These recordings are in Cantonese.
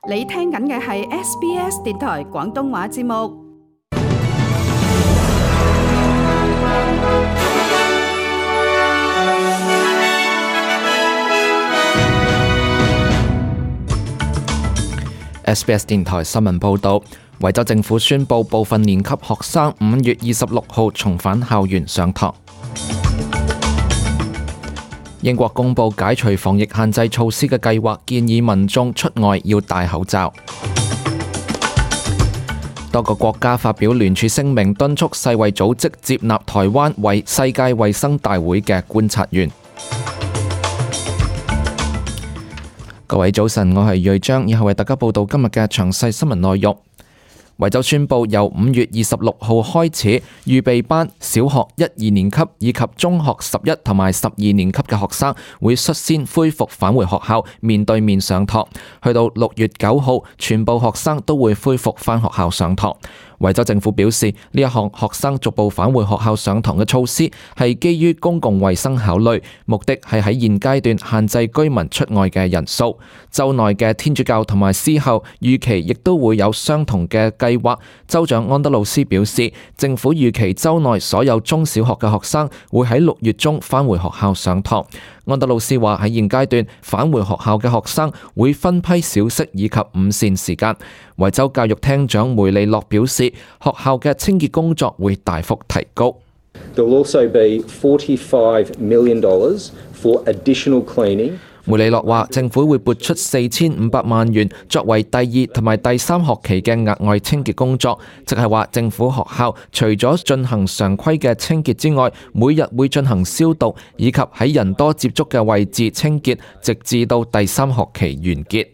你聽緊嘅係 SBS 電台廣東話節目。SBS 電台新聞報導，維州政府宣布部分年級學生5月26號重返校園上堂。英國公布解除防疫限制措施嘅計劃，建議民眾出外要戴口罩。多個國家發表聯署聲明，敦促世衛組織接納台灣為世界衛生大會嘅觀察員。各位早晨，我係瑞章，以後為大家報道今日嘅詳細新聞內容。維州宣布由5月26號開始，預備班、小學1、2年級以及中學11同埋12年級嘅學生會率先恢復返回學校面對面上堂，去到6月9號，全部學生都會恢復返學校上堂。維州政府表示，呢一項學生逐步返回學校上堂嘅措施係基於公共衛生考慮，目的係喺現階段限制居民出外嘅人數。州內嘅天主教同埋私校預期亦都會有相同嘅計劃。州長安德魯斯表示，政府預期州內所有中小學嘅學生會喺6月中返回學校上堂。安德魯斯話，喺現階段返回學校嘅學生會分批小息以及午膳時間。維州教育廳長梅利諾表示，學校嘅清潔工作會大幅提高。There will also be $45 million for additional cleaning. 梅利諾話，政府會撥出4500萬元作為第2同埋第3學期嘅額外清潔工作，即係話政府學校除咗進行常規嘅清潔之外，每日會進行消毒以及喺人多接觸嘅位置清潔，直至到第3學期完結。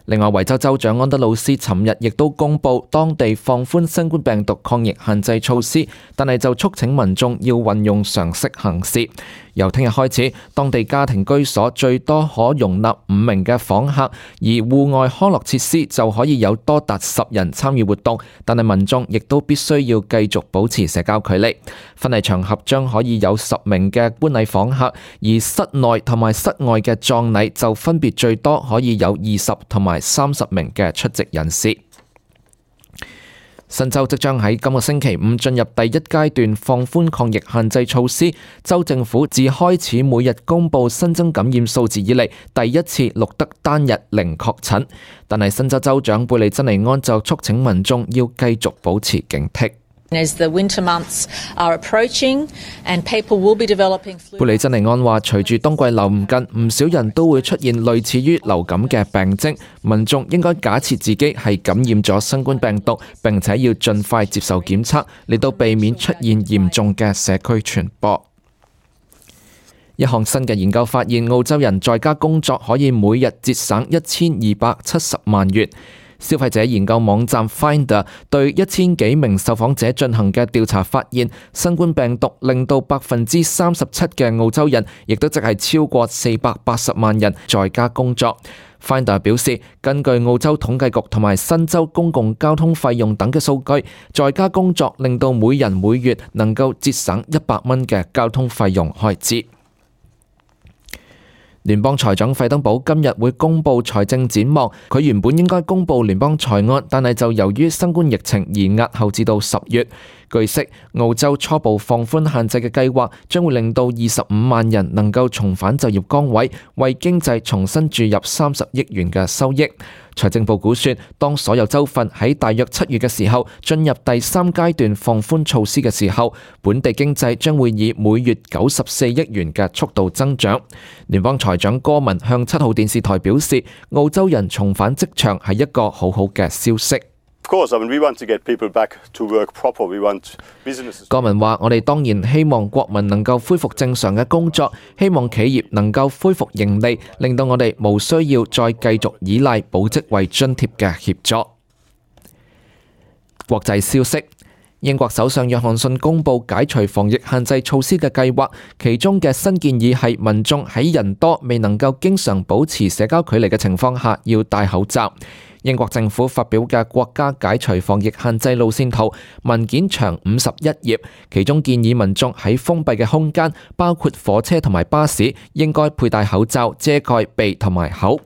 另外，維州州長安德魯斯尋日亦都公布當地放寬新冠病毒抗疫限制措施，但係就促請民眾要運用常識行事。由聽日開始，當地家庭居所最多可容納5名嘅訪客，而戶外康樂設施就可以有多達10人參與活動，但係民眾亦都必須要繼續保持社交距離。婚禮場合將可以有10名嘅觀禮訪客，而室內同埋室外嘅葬禮就分別最多可以有20同埋30名嘅出席人士。新州即將喺今個星期5進入第1階段放寬抗疫限制措施，州政府自開始每日公布新增感染數字以嚟，第一次錄得單日0確診。但係新州州長貝利珍尼安就促請民眾要繼續保持警惕。As the winter months are approaching and people will be developing flu. 貝利珍尼安話，隨住冬季臨近，唔少人都會出現類似於流感嘅病徵，民眾應該假設自己係感染咗新冠病毒，並且要盡快接受檢測，嚟到避免出現嚴重嘅社區傳播。一項新嘅研究發現，澳洲人在家工作可以每日節省1270萬元。消費者研究網站 Finder 對1000幾名受訪者進行嘅調查發現，新冠病毒令到37%嘅澳洲人，亦都即係超過480萬人在家工作。Finder 表示，根據澳洲統計局同埋新州公共交通費用等嘅數據，在家工作令到每人每月能夠節省100蚊嘅交通費用開支。聯邦財長費登堡今日會公布財政展望，佢原本應該公布聯邦財案，但係就由於新冠疫情而押後至到10月。據悉，澳洲初步放寬限制嘅計劃將會令到25萬人能夠重返就業崗位，為經濟重新注入30億元嘅收益。財政部估算，當所有州份喺大約7月嘅時候進入第3階段放寬措施嘅時候，本地經濟將會以每月94億元嘅速度增長。聯邦財長戈文向7號電視台表示，澳洲人重返職場係一個好好嘅消息。戈文話：我哋當然希望國民能夠恢復正常嘅工作，希望企業能夠恢復盈利，令到我哋無需要再繼續依賴保職位津貼嘅協助。國際消息。英國首相約翰遜公布解除防疫限制措施嘅計劃，其中嘅新建議係民眾喺人多未能夠經常保持社交距離嘅情況下要戴口罩。英國政府發表嘅國家解除防疫限制路線圖文件長51頁，其中建議民眾喺封閉嘅空間，包括火車同埋巴士，應該佩戴口罩遮蓋鼻同埋口。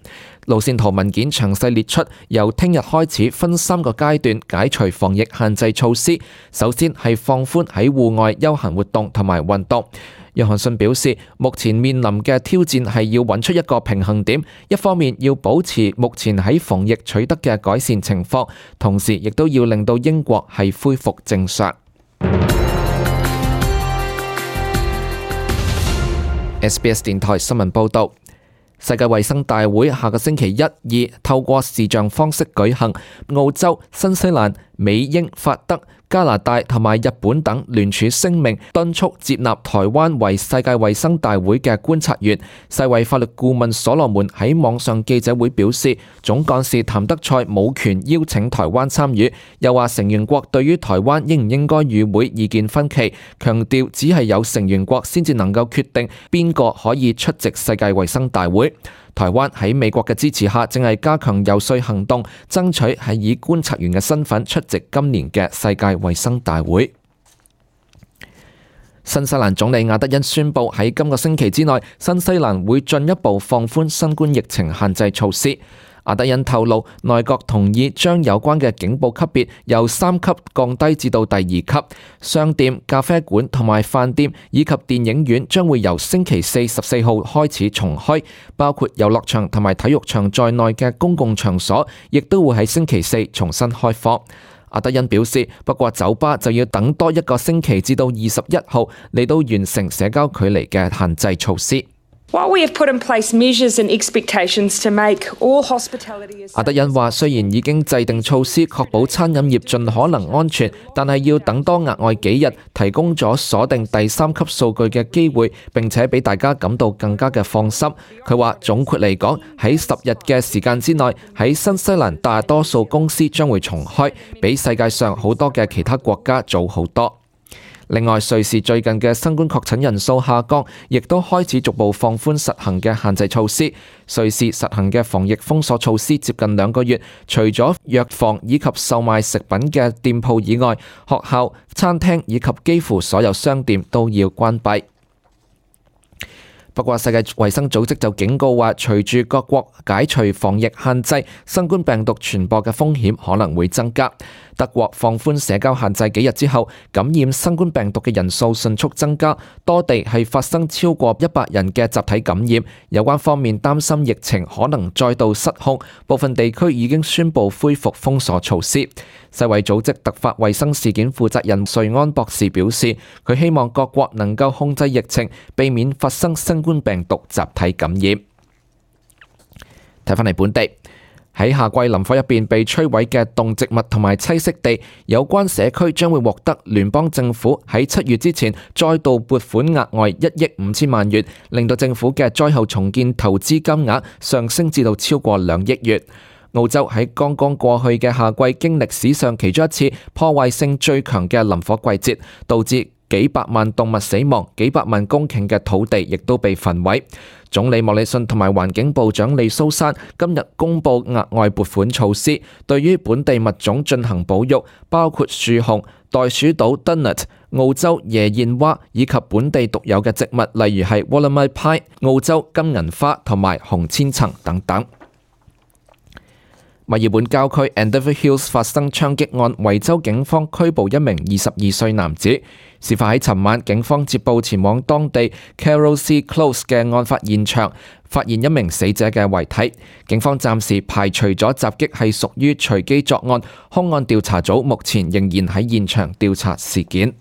路線圖文件詳細列出，由聽日開始分3個階段解除防疫限制措施。首先係放寬喺戶外休閒活動同埋運動。約翰遜表示，目前面臨嘅挑戰係要揾出一個平衡點，一方面要保持目前喺防疫取得嘅改善情況，同時亦都要令到英國係恢復正常。SBS 電台新聞報導。世界衛生大會下個星期1、2透過視像方式舉行，澳洲、新西蘭、美英、法德、加拿大同埋日本等聯署聲明，敦促接納台灣為世界衛生大會嘅觀察員。世衛法律顧問所羅門喺網上記者會表示，總幹事譚德塞冇權邀請台灣參與，又話成員國對於台灣應唔應該與會意見分歧，強調只係有成員國先至能夠決定邊個可以出席世界衛生大會。台灣喺美國嘅支持下，正係加強遊說行動，爭取係以觀察員嘅身份出席今年嘅世界衛生大會。新西蘭總理阿德恩宣布喺今個星期之內，新西蘭會進一步放寬新冠疫情限制措施。阿德恩透露，內閣同意將有關嘅警報級別由3級降低至到第2級。商店、咖啡館同埋飯店以及電影院將會由星期4 14號開始重開，包括遊樂場同埋體育場在內嘅公共場所，亦都會喺星期4重新開放。阿德恩表示，不過酒吧就要等多1個星期至到21號嚟到完成社交距離嘅限制措施。阿德恩話，雖然已經制定措施確保餐飲業盡可能安全，但係要等多額外幾日，提供咗鎖定第3級數據嘅機會，並且俾大家感到更加嘅放心。佢話總括嚟講，喺10日嘅時間之內，喺新西蘭大多數公司將會重開，比世界上好多嘅其他國家早好多。另外，瑞士最近嘅新冠確診人數下降，亦都開始逐步放寬實行嘅限制措施。瑞士實行嘅防疫封鎖措施接近2個月，除咗藥房以及售賣食品嘅店鋪以外，學校、餐廳以及幾乎所有商店都要關閉。不過，世界衛生組織就警告話，隨住各國解除防疫限制，新冠病毒傳播嘅風險可能會增加。德國放寬社交限制幾日之後，感染新冠病毒嘅人數迅速增加，多地係發生超過100人嘅集體感染。有關方面擔心疫情可能再度失控，部分地區已經宣布恢復封鎖措施。世衛組織突發衛生事件負責人瑞安博士表示，佢希望各國能夠控制疫情，避免發生新冠病毒集體感染。睇返嚟本地。喺夏季林火入邊被摧毀嘅動植物同埋棲息地，有關社區將會獲得聯邦政府喺7月之前再度撥款額外1億5千萬元，令到政府嘅災後重建投資金額上升至到超過2億元。澳洲喺剛剛過去嘅夏季經歷史上其中一次破壞性最強嘅林火季節，導致幾百萬動物死亡，幾百萬公頃嘅土地亦都被焚毀。總理莫里遜同埋環境部長利蘇珊今日公布額外撥款措施，對於本地物種進行保育，包括樹熊、袋鼠島 Dunnet、澳洲椰燕蛙以及本地獨有嘅植物，例如係 Wollemi Pine、澳洲金銀花同埋紅千層等等。墨爾本郊區 Endeavour Hills 發生槍擊案，維州警方拘捕一名22歲男子。事發喺尋晚，警方接報前往當地 Carrollsea Close 嘅案發現場，發現一名死者嘅遺體。警方暫時排除咗襲擊係屬於隨機作案，兇案調查組目前仍然喺現場調查事件。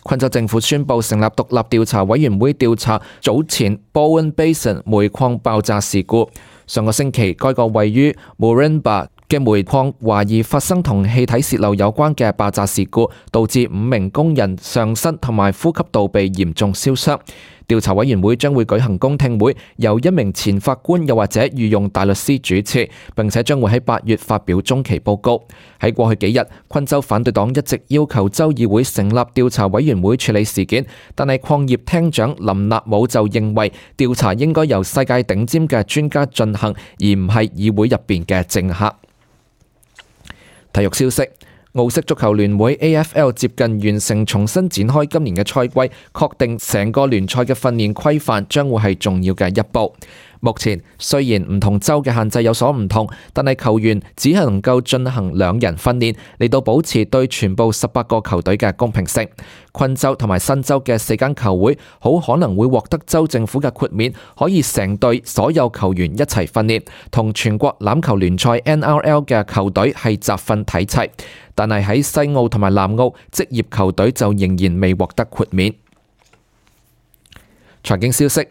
昆州政府宣布成立獨立調查委員會調查早前 Bowen Basin 煤礦爆炸事故。上個星期，該個位於 Moranbah 嘅煤礦懷疑發生同氣體洩漏有關嘅爆炸事故，導致5名工人上身同埋呼吸道被嚴重燒傷。調查委員會將會舉行公聽會，由一名前法官又或者御用大律師主持，並且將會喺8月發表中期報告。喺過去幾日，昆州反對黨一直要求州議會成立調查委員會處理事件，但係礦業廳長林納姆就認為調查應該由世界頂尖嘅專家進行，而唔係議會入邊嘅政客。體育消息。澳式足球聯會 AFL 接近完成重新展開今年嘅賽季，確定成個聯賽嘅訓練規範將會係重要嘅一步。目前雖然唔同州嘅限制有所唔同，但係球員只係能夠進行2人訓練，嚟到保持對全部18個球隊嘅公平性。昆州同埋新州嘅4間球會好可能會獲得州政府嘅豁免，可以成隊所有球員一齊訓練，同全國欖球聯賽 NRL 嘅球隊係集訓睇齊。但係喺西澳同埋南澳，職業球隊就仍然未獲得豁免。財經消息。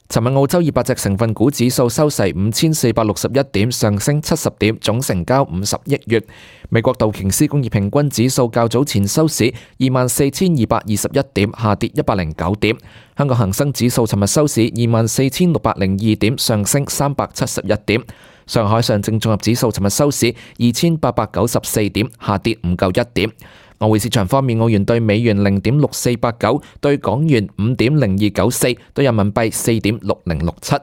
尋日澳洲200隻成分股指數收市5461點，上升70點，總成交50億元。美國道瓊斯工業平均指數較早前收市24,221點，下跌109點。香港恒生指數尋日收市24,602點，上升371點。上海上證綜合指數尋日收市2,894點，下跌唔夠1點。外匯市場方面，澳元對美元0.6489，對港元5.0294，對人民幣4.6067。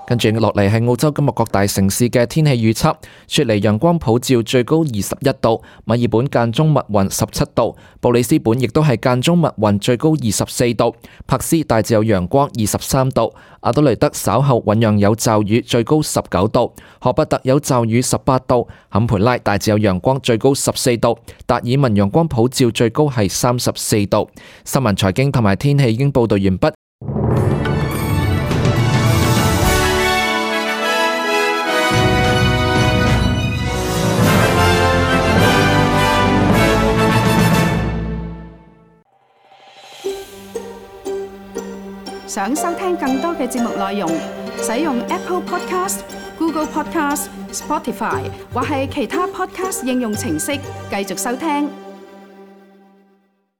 跟住落嚟係澳洲今日各大城市嘅天氣預測：雪梨陽光普照，最高21度；墨爾本間中密雲17度；布里斯本亦都係間中密雲，最高24度；珀斯大致有陽光23度；阿德雷德稍後醞釀有驟雨，最高19度；荷伯特有驟雨18度；坎培拉大致有陽光，最高14度；達爾文陽光普照，最高係34度。新聞財經同埋天氣已經報道完畢。想收聽更多嘅節目內容，使用 Apple Podcast、Google Podcast、Spotify 或係其他 Podcast 應用程式繼續收聽。